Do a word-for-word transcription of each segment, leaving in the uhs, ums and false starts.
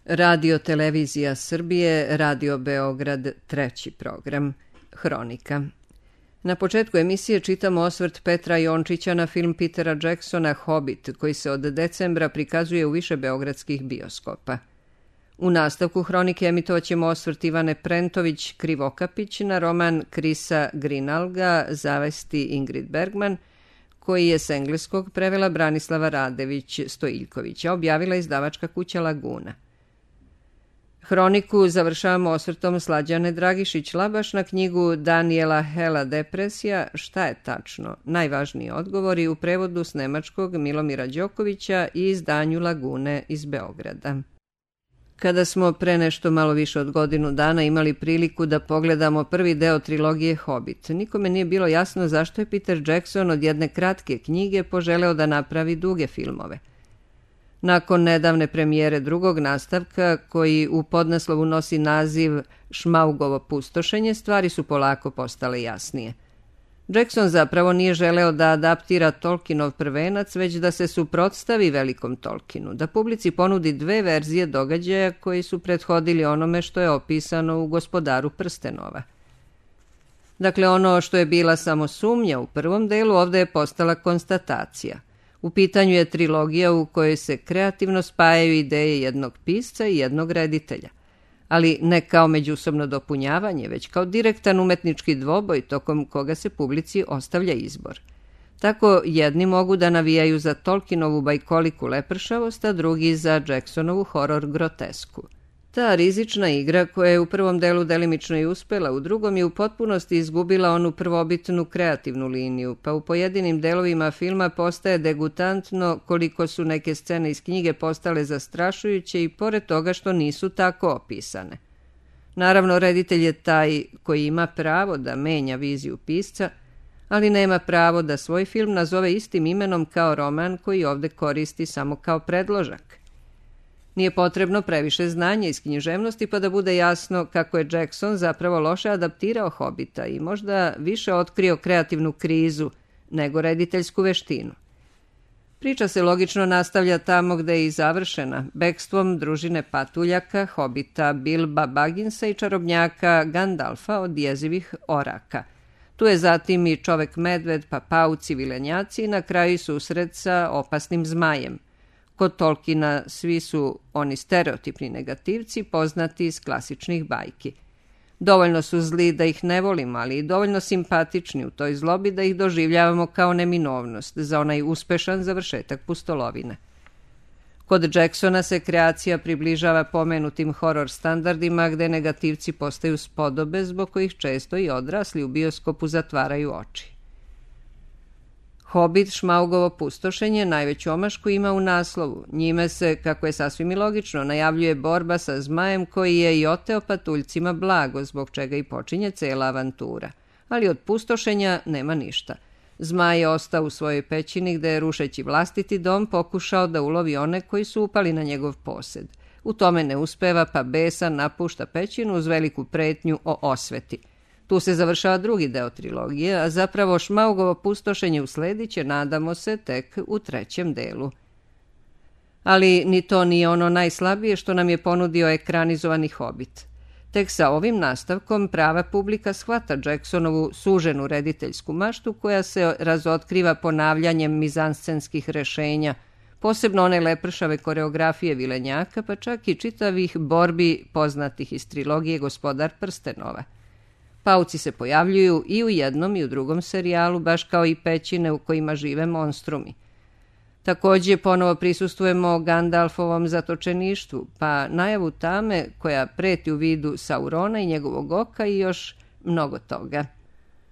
Radio Televizija Srbije, Radio Beograd, treći program, Hronika. Na početku emisije čitamo osvrt Petra Jončića na film Petera Jacksona Hobbit, koji se od decembra prikazuje u više beogradskih bioskopa. U nastavku Hronike emitovaćemo osvrt Ivane Prentović Krivokapić na roman Krisa Grinalga Zavesti Ingrid Bergman, koji je s engleskog prevela Branislava Radević Stojiljkovića, objavila izdavačka kuća Laguna. Hroniku završavamo osvrtom Slađane Dragišić-Labaš na knjigu Daniela Hela Depresija, Šta je tačno? Najvažniji odgovori u prevodu s nemačkog Milomira Đokovića i izdanju Lagune iz Beograda. Kada smo pre nešto malo više od godinu dana imali priliku da pogledamo prvi deo trilogije Hobbit, nikome nije bilo jasno zašto je Peter Jackson od jedne kratke knjige poželeo da napravi duge filmove. Nakon nedavne premijere drugog nastavka, koji u podnaslovu nosi naziv Šmaugovo pustošenje, stvari su polako postale jasnije. Jackson zapravo nije želeo da adaptira Tolkienov prvenac, već da se suprotstavi velikom Tolkienu, da publici ponudi dve verzije događaja koji su prethodili onome što je opisano u Gospodaru prstenova. Dakle, ono što je bila samo sumnja u prvom delu, ovde je postala konstatacija. U pitanju je trilogija u kojoj se kreativno spajaju ideje jednog pisca i jednog reditelja, ali ne kao međusobno dopunjavanje, već kao direktan umetnički dvoboj tokom koga se publici ostavlja izbor. Tako jedni mogu da navijaju za Tolkienovu bajkoliku lepršavost, a drugi za Jacksonovu horor grotesku. Ta rizična igra, koja je u prvom delu delimično i uspela, u drugom je u potpunosti izgubila onu prvobitnu kreativnu liniju, pa u pojedinim delovima filma postaje degutantno koliko su neke scene iz knjige postale zastrašujuće i pored toga što nisu tako opisane. Naravno, reditelj je taj koji ima pravo da menja viziju pisca, ali nema pravo da svoj film nazove istim imenom kao roman koji ovde koristi samo kao predložak. Nije potrebno previše znanja iz književnosti pa da bude jasno kako je Jackson zapravo loše adaptirao Hobita i možda više otkrio kreativnu krizu nego rediteljsku veštinu. Priča se logično nastavlja tamo gde je i završena, bekstvom družine patuljaka, Hobita Bilba Bagginsa i čarobnjaka Gandalfa od jezivih oraka. Tu je zatim i čovek medved, pa pauci, vilenjaci i na kraju susret sa opasnim zmajem. Kod Tolkiena svi su oni stereotipni negativci poznati iz klasičnih bajki. Dovoljno su zli da ih ne volimo, ali i dovoljno simpatični u toj zlobi da ih doživljavamo kao neminovnost za onaj uspešan završetak pustolovine. Kod Jacksona se kreacija približava pomenutim horor standardima gde negativci postaju spodobe zbog kojih često i odrasli u bioskopu zatvaraju oči. Hobbit Šmaugovo pustošenje najveću omašku ima u naslovu. Njime se, kako je sasvim i logično, najavljuje borba sa zmajem koji je i oteo patuljcima blago, zbog čega i počinje cela avantura. Ali od pustošenja nema ništa. Zmaj je ostao u svojoj pećini gde je, rušeći vlastiti dom, pokušao da ulovi one koji su upali na njegov posed. U tome ne uspeva, pa besan napušta pećinu uz veliku pretnju o osveti. Tu se završava drugi deo trilogije, a zapravo Šmaugovo pustošenje uslediće, nadamo se, tek u trećem delu. Ali ni to nije ono najslabije što nam je ponudio ekranizovani Hobbit. Tek sa ovim nastavkom prava publika shvata Jacksonovu suženu rediteljsku maštu koja se razotkriva ponavljanjem mizanscenskih rešenja, posebno one lepršave koreografije vilenjaka, pa čak i čitavih borbi poznatih iz trilogije Gospodar prstenova. Pauci se pojavljuju i u jednom i u drugom serijalu, baš kao i pećine u kojima žive monstrumi. Takođe, ponovo prisustujemo Gandalfovom zatočeništvu, pa najavu tame koja preti u vidu Saurona i njegovog oka i još mnogo toga.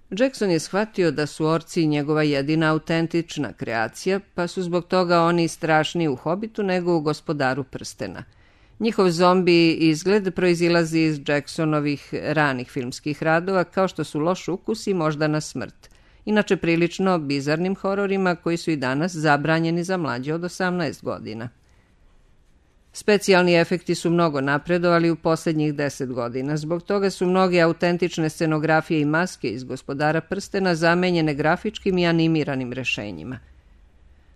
Jackson je shvatio da su orci njegova jedina autentična kreacija, pa su zbog toga oni strašniji u Hobbitu nego u Gospodaru prstena. Njihov zombi izgled proizilazi iz Jacksonovih ranih filmskih radova, kao što su Loš ukus i Moždana smrt, inače prilično bizarnim hororima koji su i danas zabranjeni za mlađe od osamnaest godina. Specijalni efekti su mnogo napredovali u posljednjih deset godina, zbog toga su mnoge autentične scenografije i maske iz Gospodara prstena zamenjene grafičkim i animiranim rešenjima.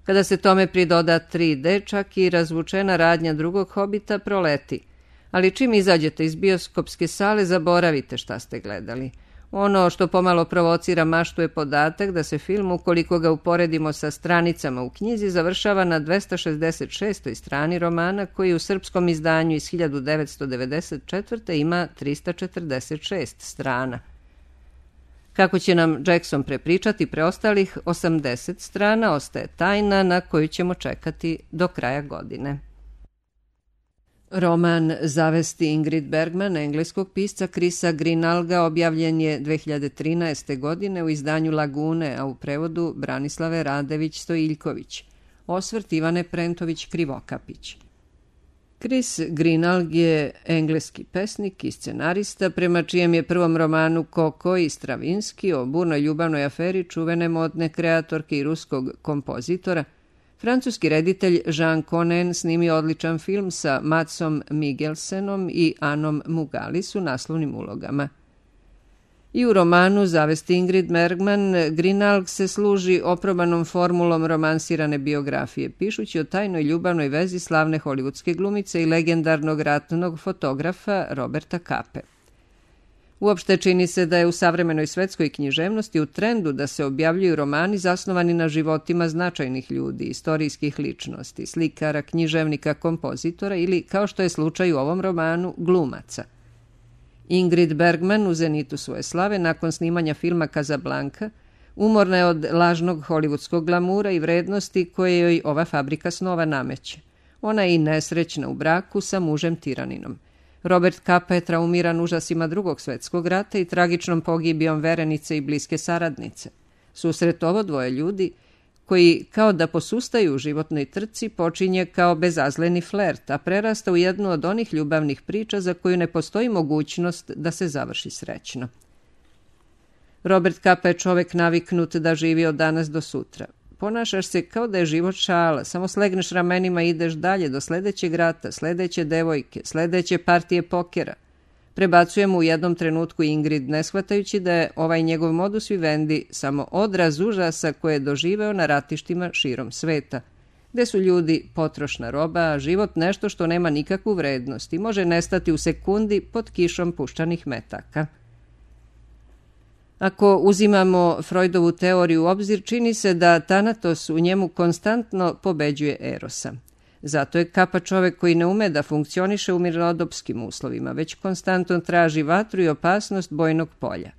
Kada se tome pridoda tri de, čak i razvučena radnja drugog Hobita proleti. Ali čim izađete iz bioskopske sale, zaboravite šta ste gledali. Ono što pomalo provocira maštu je podatak da se film, ukoliko ga uporedimo sa stranicama u knjizi, završava na dvesta šezdeset šestoj strani romana, koji u srpskom izdanju iz hiljadu devetsto devedeset četvrte ima trista četrdeset šest strana. Kako će nam Jackson prepričati preostalih osamdeset strana, ostaje tajna na koju ćemo čekati do kraja godine. Roman Zavesti Ingrid Bergman engleskog pisca Chrisa Greenhalgha objavljen je dve hiljade trinaeste. godine u izdanju Lagune, a u prevodu Branislave Radević-Stojiljković. Osvrt Ivane Prentović-Krivokapić. Chris Greenhalgh je engleski pesnik i scenarista, prema čijem je prvom romanu Koko i Stravinski o burnoj ljubavnoj aferi čuvene modne kreatorke i ruskog kompozitora, francuski reditelj Jean Conen snimio odličan film sa Matsom Mikkelsenom i Anom Mugalis u naslovnim ulogama. I u romanu Zavesti Ingrid Bergman, Greenhalgh se služi oprobanom formulom romansirane biografije, pišući o tajnoj ljubavnoj vezi slavne hollywoodske glumice i legendarnog ratnog fotografa Roberta Cape. Uopšte čini se da je u savremenoj svetskoj književnosti u trendu da se objavljuju romani zasnovani na životima značajnih ljudi, istorijskih ličnosti, slikara, književnika, kompozitora ili, kao što je slučaj u ovom romanu, glumaca. Ingrid Bergman u zenitu svoje slave nakon snimanja filma Casablanca umorna je od lažnog hollywoodskog glamura i vrednosti koje joj ova fabrika snova nameće. Ona je i nesrećna u braku sa mužem tiraninom. Robert Capa je traumiran užasima drugog svetskog rata i tragičnom pogibijom verenice i bliske saradnice. Susret ovo dvoje ljudi, koji kao da posustaju u životnoj trci, počinje kao bezazleni flert, a prerasta u jednu od onih ljubavnih priča za koju ne postoji mogućnost da se završi srećno. Robert Capa je čovek naviknut da živi od danas do sutra. Ponašaš se kao da je život šala, samo slegneš ramenima i ideš dalje do sledećeg rata, sledeće devojke, sledeće partije pokera. Prebacujemo u jednom trenutku Ingrid, ne shvatajući da je ovaj njegov modus vivendi samo odraz užasa koje je doživeo na ratištima širom sveta, gde su ljudi potrošna roba, a život nešto što nema nikakvu vrednost i može nestati u sekundi pod kišom puščanih metaka. Ako uzimamo Freudovu teoriju u obzir, čini se da Thanatos u njemu konstantno pobeđuje Erosa. Zato je Capa čovek koji ne ume da funkcioniše u mirnodopskim uslovima, već konstantno traži vatru i opasnost bojnog polja.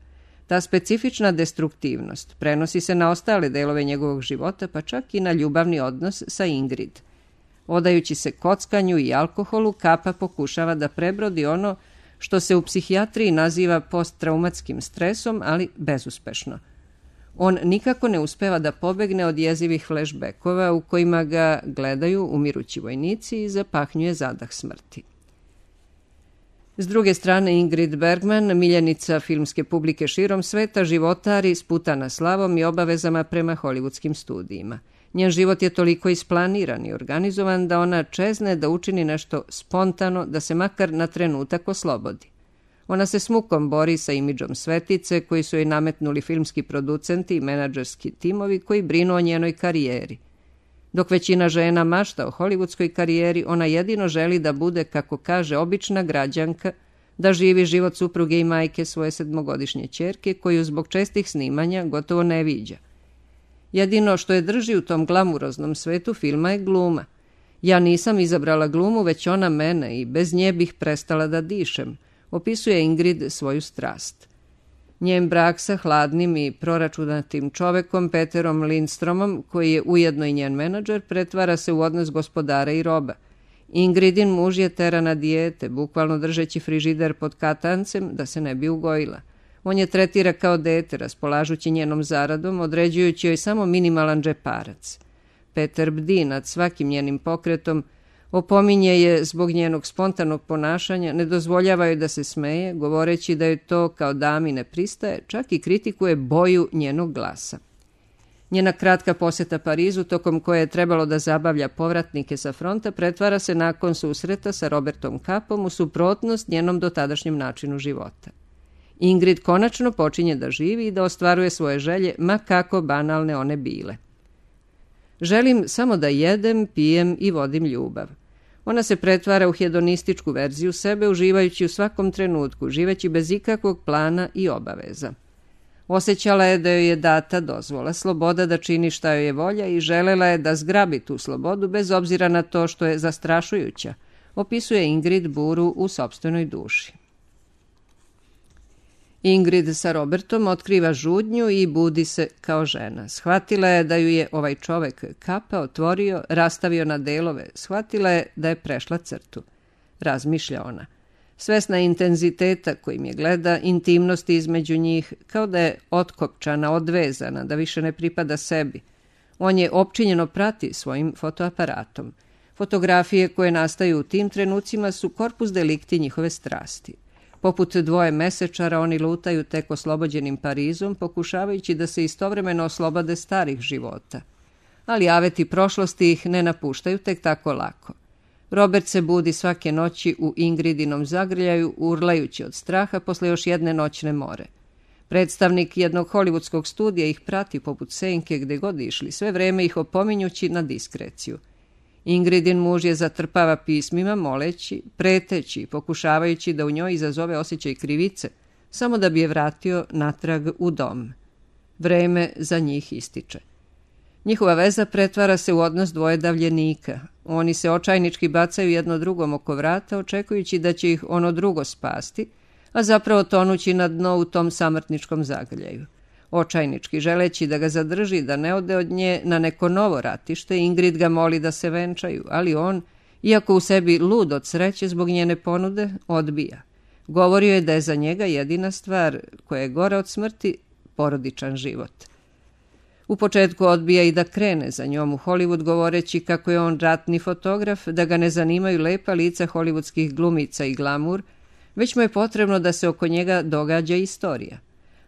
Ta specifična destruktivnost prenosi se na ostale delove njegovog života, pa čak i na ljubavni odnos sa Ingrid. Odajući se kockanju i alkoholu, Capa pokušava da prebrodi ono što se u psihijatriji naziva posttraumatskim stresom, ali bezuspešno. On nikako ne uspeva da pobegne od jezivih flashbackova u kojima ga gledaju umirući vojnici i zapahnjuje zadah smrti. S druge strane, Ingrid Bergman, miljenica filmske publike širom sveta, životari sputana slavom i obavezama prema hollywoodskim studijima. Njen život je toliko isplaniran i organizovan da ona čezne da učini nešto spontano, da se makar na trenutak oslobodi. Ona se s mukom bori sa imidžom svetice koji su joj nametnuli filmski producenti i menadžerski timovi koji brinu o njenoj karijeri. Dok većina žena mašta o hollywoodskoj karijeri, ona jedino želi da bude, kako kaže, obična građanka, da živi život supruge i majke svoje sedmogodišnje ćerke koju zbog čestih snimanja gotovo ne viđa. Jedino što je drži u tom glamuroznom svetu filma je gluma. Ja nisam izabrala glumu, već ona mene i bez nje bih prestala da dišem, opisuje Ingrid svoju strast. Njen brak sa hladnim i proračunatim čovekom Peterom Lindstromom, koji je ujedno i njen menadžer, pretvara se u odnos gospodara i roba. Ingridin muž je tera na dijete, bukvalno držeći frižider pod katancem da se ne bi ugojila. On je tretira kao dete, raspolažući njenom zaradom, određujući joj samo minimalan džeparac. Peter bdi nad svakim njenim pokretom, opominje je zbog njenog spontanog ponašanja, ne dozvoljava joj da se smeje, govoreći da joj to kao dami ne pristaje, čak i kritikuje boju njenog glasa. Njena kratka posjeta Parizu, tokom koje je trebalo da zabavlja povratnike sa fronta, pretvara se nakon susreta sa Robertom Capom u suprotnost njenom dotadašnjem načinu života. Ingrid konačno počinje da živi i da ostvaruje svoje želje, ma kako banalne one bile. Želim samo da jedem, pijem i vodim ljubav. Ona se pretvara u hedonističku verziju sebe, uživajući u svakom trenutku, živeći bez ikakvog plana i obaveza. Osjećala je da joj je data dozvola, sloboda da čini šta joj je volja i želela je da zgrabi tu slobodu bez obzira na to što je zastrašujuća, opisuje Ingrid buru u sopstvenoj duši. Ingrid sa Robertom otkriva žudnju i budi se kao žena. Shvatila je da ju je ovaj čovek kapa otvorio, rastavio na delove. Shvatila je da je prešla crtu. Razmišlja ona. Svesna intenziteta kojim je gleda, intimnosti između njih, kao da je otkopčana, odvezana, da više ne pripada sebi. On je opčinjeno prati svojim fotoaparatom. Fotografije koje nastaju u tim trenucima su korpus delikti njihove strasti. Poput dvoje mesečara oni lutaju tek oslobođenim Parizom, pokušavajući da se istovremeno oslobode starih života. Ali aveti prošlosti ih ne napuštaju tek tako lako. Robert se budi svake noći u Ingridinom zagrljaju, urlajući od straha posle još jedne noćne more. Predstavnik jednog hollywoodskog studija ih prati poput senke gde god išli, sve vreme ih opominjući na diskreciju. Ingridin muž je zatrpava pismima, moleći, preteći, pokušavajući da u njoj izazove osjećaj krivice, samo da bi je vratio natrag u dom. Vreme za njih ističe. Njihova veza pretvara se u odnos dvoje davljenika. Oni se očajnički bacaju jedno drugom oko vrata, očekujući da će ih ono drugo spasti, a zapravo tonući na dno u tom samrtničkom zagrljaju. Očajnički, želeći da ga zadrži, da ne ode od nje na neko novo ratište, Ingrid ga moli da se venčaju, ali on, iako u sebi lud od sreće zbog njene ponude, odbija. Govorio je da je za njega jedina stvar koja je gora od smrti porodičan život. U početku odbija i da krene za njom u Hollywood, govoreći kako je on ratni fotograf, da ga ne zanimaju lepa lica hollywoodskih glumica i glamur, već mu je potrebno da se oko njega događa istorija.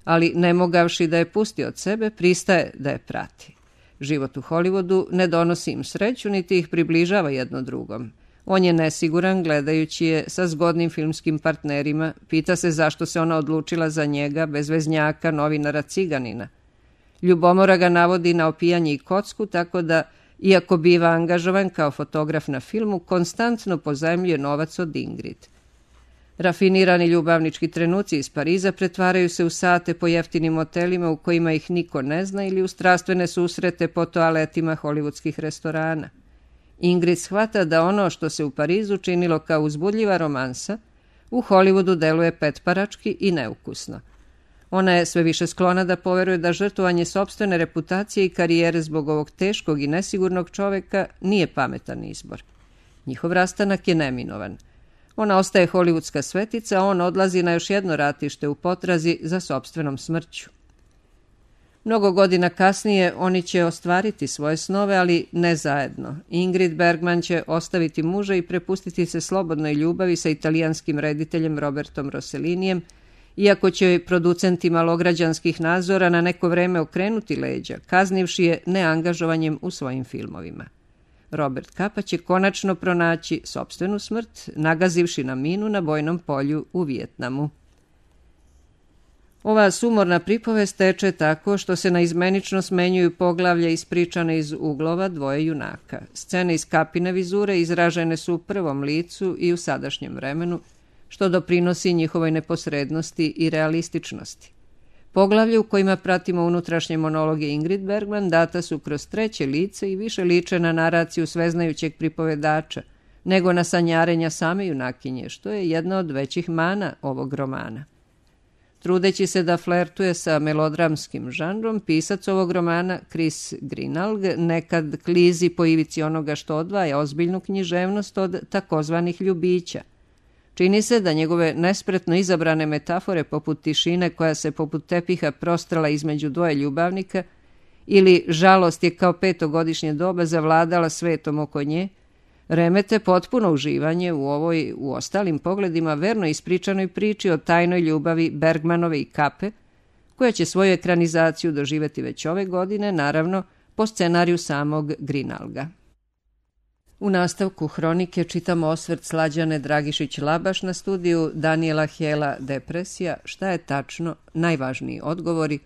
Ali ne mogavši da je pusti od sebe, pristaje da je prati. Život u Hollywoodu ne donosi im sreću, niti ih približava jedno drugom. On je nesiguran, gledajući je sa zgodnim filmskim partnerima, pita se zašto se ona odlučila za njega, bezveznjaka, novinara ciganina. Ljubomora ga navodi na opijanje i kocku, tako da, iako biva angažovan kao fotograf na filmu, konstantno pozajmljuje novac od Ingrid. Rafinirani ljubavnički trenuci iz Pariza pretvaraju se u sate po jeftinim motelima u kojima ih niko ne zna ili u strastvene susrete po toaletima hollywoodskih restorana. Ingrid shvata da ono što se u Parizu činilo kao uzbudljiva romansa, u Hollywoodu deluje petparački i neukusno. Ona je sve više sklona da poveruje da žrtvovanje sopstvene reputacije i karijere zbog ovog teškog i nesigurnog čoveka nije pametan izbor. Njihov rastanak je neminovan. Ona ostaje hollywoodska svetica, a on odlazi na još jedno ratište u potrazi za sopstvenom smrću. Mnogo godina kasnije oni će ostvariti svoje snove, ali ne zajedno. Ingrid Bergman će ostaviti muža i prepustiti se slobodnoj ljubavi sa italijanskim rediteljem Robertom Rossellinijem, iako će joj producenti malograđanskih nadzora na neko vreme okrenuti leđa, kaznivši je neangažovanjem u svojim filmovima. Robert Capa će konačno pronaći sopstvenu smrt, nagazivši na minu na bojnom polju u Vijetnamu. Ova sumorna pripovest teče tako što se naizmenično smenjuju poglavlja ispričane iz uglova dvoje junaka. Scene iz Capine vizure izražene su u prvom licu i u sadašnjem vremenu, što doprinosi njihovoj neposrednosti i realističnosti. Poglavlje u kojima pratimo unutrašnje monologe Ingrid Bergman data su kroz treće lice i više liče na naraciju sveznajućeg pripovedača, nego na sanjarenja same junakinje, što je jedna od većih mana ovog romana. Trudeći se da flertuje sa melodramskim žanrom, pisac ovog romana, Chris Grinalg, nekad klizi po ivici onoga što odvaja ozbiljnu književnost od takozvanih ljubića. Čini se da njegove nespretno izabrane metafore poput tišine koja se poput tepiha prostrala između dvoje ljubavnika ili žalost je kao petogodišnje doba zavladala svetom oko nje, remete potpuno uživanje u ovoj, u ostalim pogledima, verno ispričanoj priči o tajnoj ljubavi Bergmanove i Cape, koja će svoju ekranizaciju doživeti već ove godine, naravno, po scenariju samog Grinalga. U nastavku hronike čitamo osvrt Slađane Dragišić-Labaš na studiju Daniela Hela Depresija, šta je tačno, najvažniji odgovori,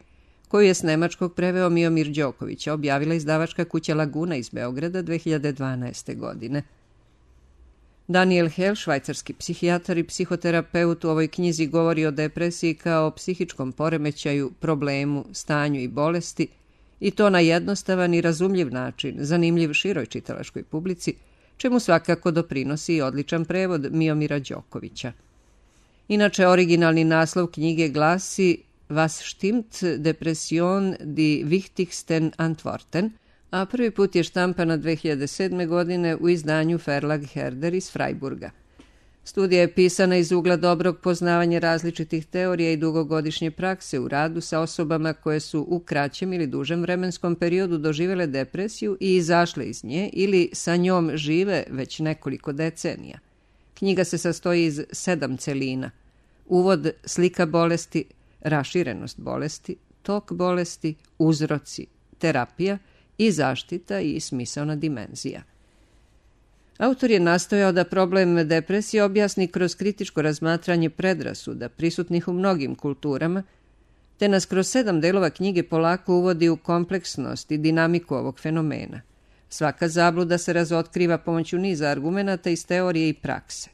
koju je s nemačkog preveo Miomir Đoković, objavila izdavačka kuća Laguna iz Beograda dve hiljade dvanaeste. godine. Daniel Hell, švajcarski psihijatar i psihoterapeut, u ovoj knjizi govori o depresiji kao o psihičkom poremećaju, problemu, stanju i bolesti, i to na jednostavan i razumljiv način, zanimljiv široj čitalačkoj publici, čemu svakako doprinosi i odličan prevod Miomira Đokovića. Inače, originalni naslov knjige glasi Was stimmt, Depression, die wichtigsten Antworten, a prvi put je štampana dve hiljade sedme. godine u izdanju Verlag Herder iz Freiburga. Studija je pisana iz ugla dobrog poznavanja različitih teorija i dugogodišnje prakse u radu sa osobama koje su u kraćem ili dužem vremenskom periodu doživele depresiju i izašle iz nje ili sa njom žive već nekoliko decenija. Knjiga se sastoji iz sedam celina: uvod, slika bolesti, raširenost bolesti, tok bolesti, uzroci, terapija i zaštita i smisaona dimenzija. Autor je nastojao da problem depresije objasni kroz kritičko razmatranje predrasuda prisutnih u mnogim kulturama, te nas kroz sedam delova knjige polako uvodi u kompleksnost i dinamiku ovog fenomena. Svaka zabluda se razotkriva pomoću niza argumenata iz teorije i prakse.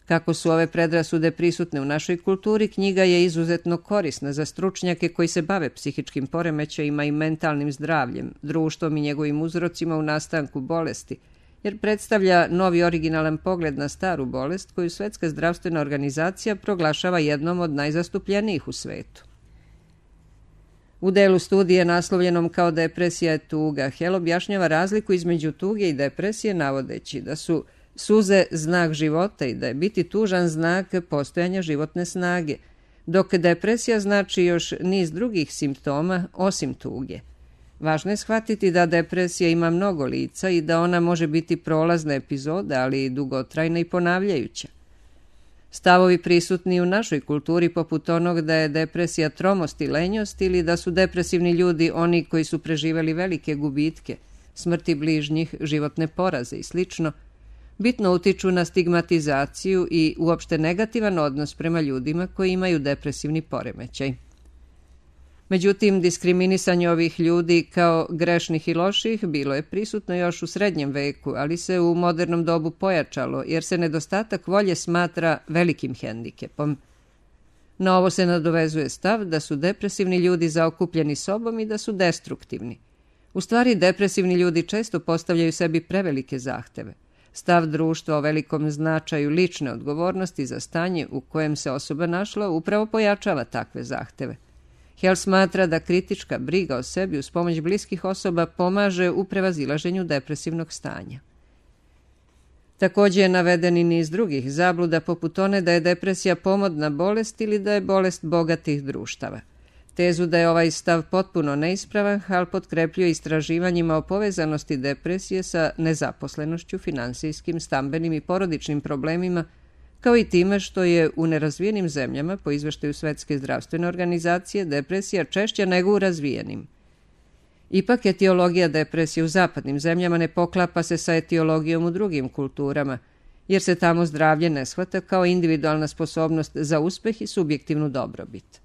Kako su ove predrasude prisutne u našoj kulturi, knjiga je izuzetno korisna za stručnjake koji se bave psihičkim poremećajima i mentalnim zdravljem, društvom i njegovim uzrocima u nastanku bolesti, jer predstavlja novi originalan pogled na staru bolest koju Svetska zdravstvena organizacija proglašava jednom od najzastupljenijih u svetu. U delu studije naslovljenom kao Depresija je tuga, Hell objašnjava razliku između tuge i depresije, navodeći da su suze znak života i da je biti tužan znak postojanja životne snage, dok depresija znači još niz drugih simptoma osim tuge. Važno je shvatiti da depresija ima mnogo lica i da ona može biti prolazna epizoda, ali i dugotrajna i ponavljajuća. Stavovi prisutni u našoj kulturi poput onog da je depresija tromost i lenjost ili da su depresivni ljudi oni koji su preživeli velike gubitke, smrti bližnjih, životne poraze i slično, bitno utiču na stigmatizaciju i uopšte negativan odnos prema ljudima koji imaju depresivni poremećaj. Međutim, diskriminisanje ovih ljudi kao grešnih i loših bilo je prisutno još u srednjem veku, ali se u modernom dobu pojačalo, jer se nedostatak volje smatra velikim hendikepom. Na ovo se nadovezuje stav da su depresivni ljudi zaokupljeni sobom i da su destruktivni. U stvari, depresivni ljudi često postavljaju sebi prevelike zahteve. Stav društva o velikom značaju lične odgovornosti za stanje u kojem se osoba našla upravo pojačava takve zahteve. Hell smatra da kritička briga o sebi uz pomoć bliskih osoba pomaže u prevazilaženju depresivnog stanja. Također je naveden i niz drugih zabluda, poput one da je depresija pomodna bolest ili da je bolest bogatih društava. Tezu da je ovaj stav potpuno neispravan, Hall potkrepljuje istraživanjima o povezanosti depresije sa nezaposlenošću, finansijskim, stambenim i porodičnim problemima, kao i time što je u nerazvijenim zemljama, po izveštaju Svetske zdravstvene organizacije, depresija češća nego u razvijenim. Ipak, etiologija depresije u zapadnim zemljama ne poklapa se sa etiologijom u drugim kulturama, jer se tamo zdravlje ne shvata kao individualna sposobnost za uspeh i subjektivnu dobrobit.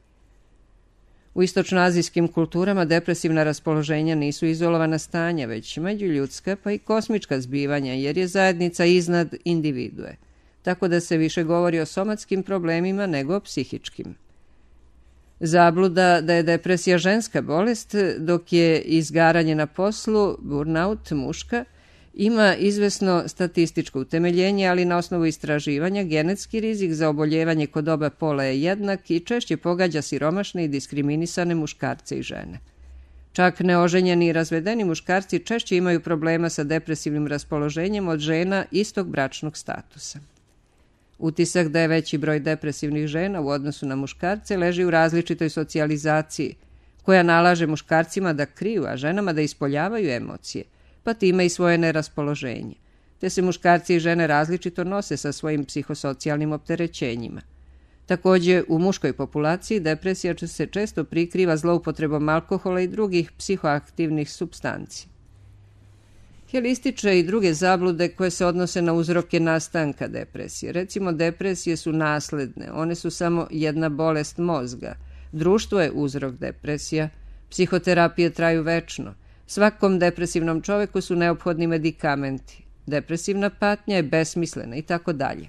U istočnoazijskim kulturama depresivna raspoloženja nisu izolovana stanja, već međuljudska pa i kosmička zbivanja, jer je zajednica iznad individue, tako da se više govori o somatskim problemima nego o psihičkim. Zabluda da je depresija ženska bolest, dok je izgaranje na poslu, burnout, muška, ima izvesno statističko utemeljenje, ali na osnovu istraživanja genetski rizik za oboljevanje kod oba pola je jednak i češće pogađa siromašne i diskriminisane muškarce i žene. Čak neoženjeni i razvedeni muškarci češće imaju problema sa depresivnim raspoloženjem od žena istog bračnog statusa. Utisak da je veći broj depresivnih žena u odnosu na muškarce leži u različitoj socijalizaciji, koja nalaže muškarcima da kriju, a ženama da ispoljavaju emocije, pa time i svoje neraspoloženje, te se muškarci i žene različito nose sa svojim psihosocijalnim opterećenjima. Također, u muškoj populaciji depresija se često prikriva zloupotrebom alkohola i drugih psihoaktivnih supstanci. Hell ističe i druge zablude koje se odnose na uzroke nastanka depresije. Recimo, depresije su nasledne, one su samo jedna bolest mozga. Društvo je uzrok depresija, psihoterapije traju večno. Svakom depresivnom čoveku su neophodni medikamenti. depresivna patnja je besmislena i tako dalje.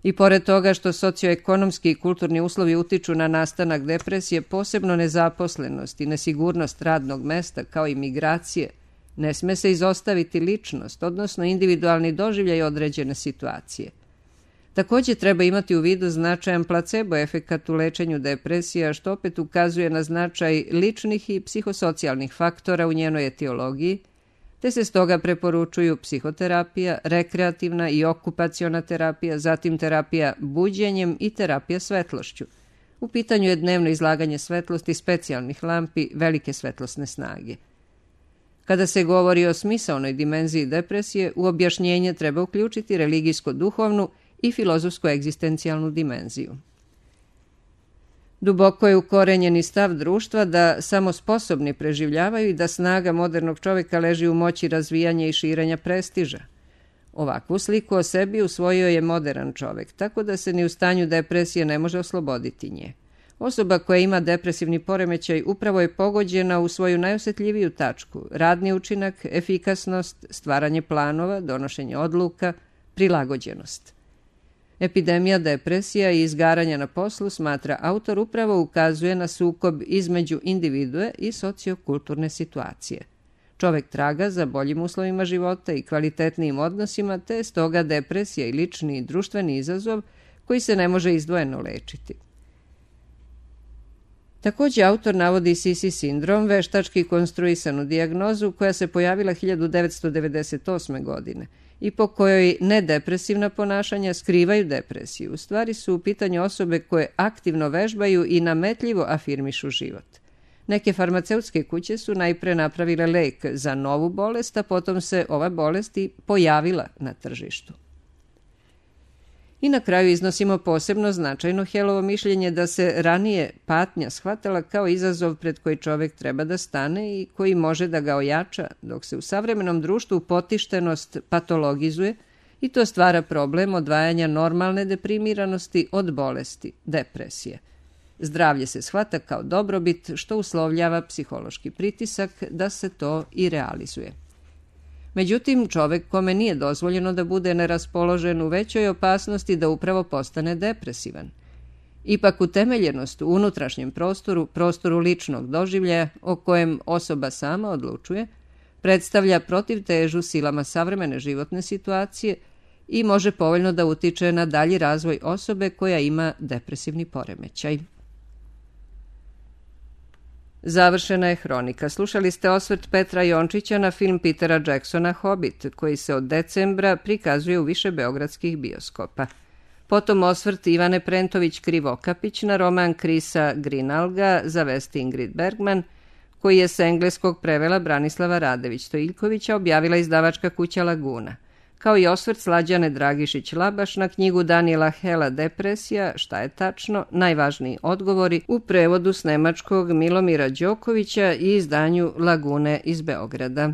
I pored toga što socioekonomski i kulturni uslovi utiču na nastanak depresije, posebno nezaposlenost i nesigurnost radnog mesta kao i migracije, ne sme se izostaviti ličnost, odnosno individualni doživljaj određene situacije. Također treba imati u vidu značajan placebo efekat u lečenju depresija, što opet ukazuje na značaj ličnih i psihosocijalnih faktora u njenoj etiologiji, te se stoga preporučuju psihoterapija, rekreativna i okupaciona terapija, zatim terapija buđenjem i terapija svetlošću. U pitanju je dnevno izlaganje svetlosti specijalnih lampi velike svetlosne snage. Kada se govori o smisaonoj dimenziji depresije, u objašnjenje treba uključiti religijsko-duhovnu i filozofsko-egzistencijalnu dimenziju. Duboko je ukorenjeni stav društva da samo sposobni preživljavaju i da snaga modernog čovjeka leži u moći razvijanja i širenja prestiža. Ovakvu sliku o sebi usvojio je modern čovjek, tako da se ni u stanju depresije ne može osloboditi nje. Osoba koja ima depresivni poremećaj upravo je pogođena u svoju najosjetljiviju tačku, radni učinak, efikasnost, stvaranje planova, donošenje odluka, prilagođenost. Epidemija depresija i izgaranja na poslu, smatra autor, upravo ukazuje na sukob između individue i sociokulturne situacije. Čovek traga za boljim uslovima života i kvalitetnijim odnosima, te je stoga depresija i lični i društveni izazov koji se ne može izdvojeno lečiti. Također autor navodi Sisi sindrom, veštački konstruisanu dijagnozu koja se pojavila hiljadu devetsto devedeset osme. godine i po kojoj nedepresivna ponašanja skrivaju depresiju. U stvari su u pitanju osobe koje aktivno vežbaju i nametljivo afirmišu život. Neke farmaceutske kuće su najpre napravile lek za novu bolest, a potom se ova bolest i pojavila na tržištu. I na kraju iznosimo posebno značajno Hellovo mišljenje da se ranije patnja shvatala kao izazov pred koji čovjek treba da stane i koji može da ga ojača, dok se u savremenom društvu potištenost patologizuje i to stvara problem odvajanja normalne deprimiranosti od bolesti, depresije. Zdravlje se shvata kao dobrobit, što uslovljava psihološki pritisak da se to i realizuje. Međutim, čovjek kome nije dozvoljeno da bude neraspoložen u većoj opasnosti da upravo postane depresivan. Ipak utemeljenost u unutrašnjem prostoru, prostoru ličnog doživljaja o kojem osoba sama odlučuje, predstavlja protivtežu silama savremene životne situacije i može povoljno da utiče na dalji razvoj osobe koja ima depresivni poremećaj. Završena je hronika. Slušali ste osvrt Petra Jončića na film Petera Jacksona Hobbit, koji se od decembra prikazuje u više beogradskih bioskopa. Potom osvrt Ivane Prentović Krivokapić na roman Krisa Grinalga za vesti Ingrid Bergman, koji je s engleskog prevela Branislava Radević-Stojiljkovića objavila izdavačka kuća Laguna, kao i osvrt Slađane Dragišić-Labaš na knjigu Daniela Hela Depresija, šta je tačno, najvažniji odgovori, u prevodu s nemačkog Milomira Đokovića i izdanju Lagune iz Beograda.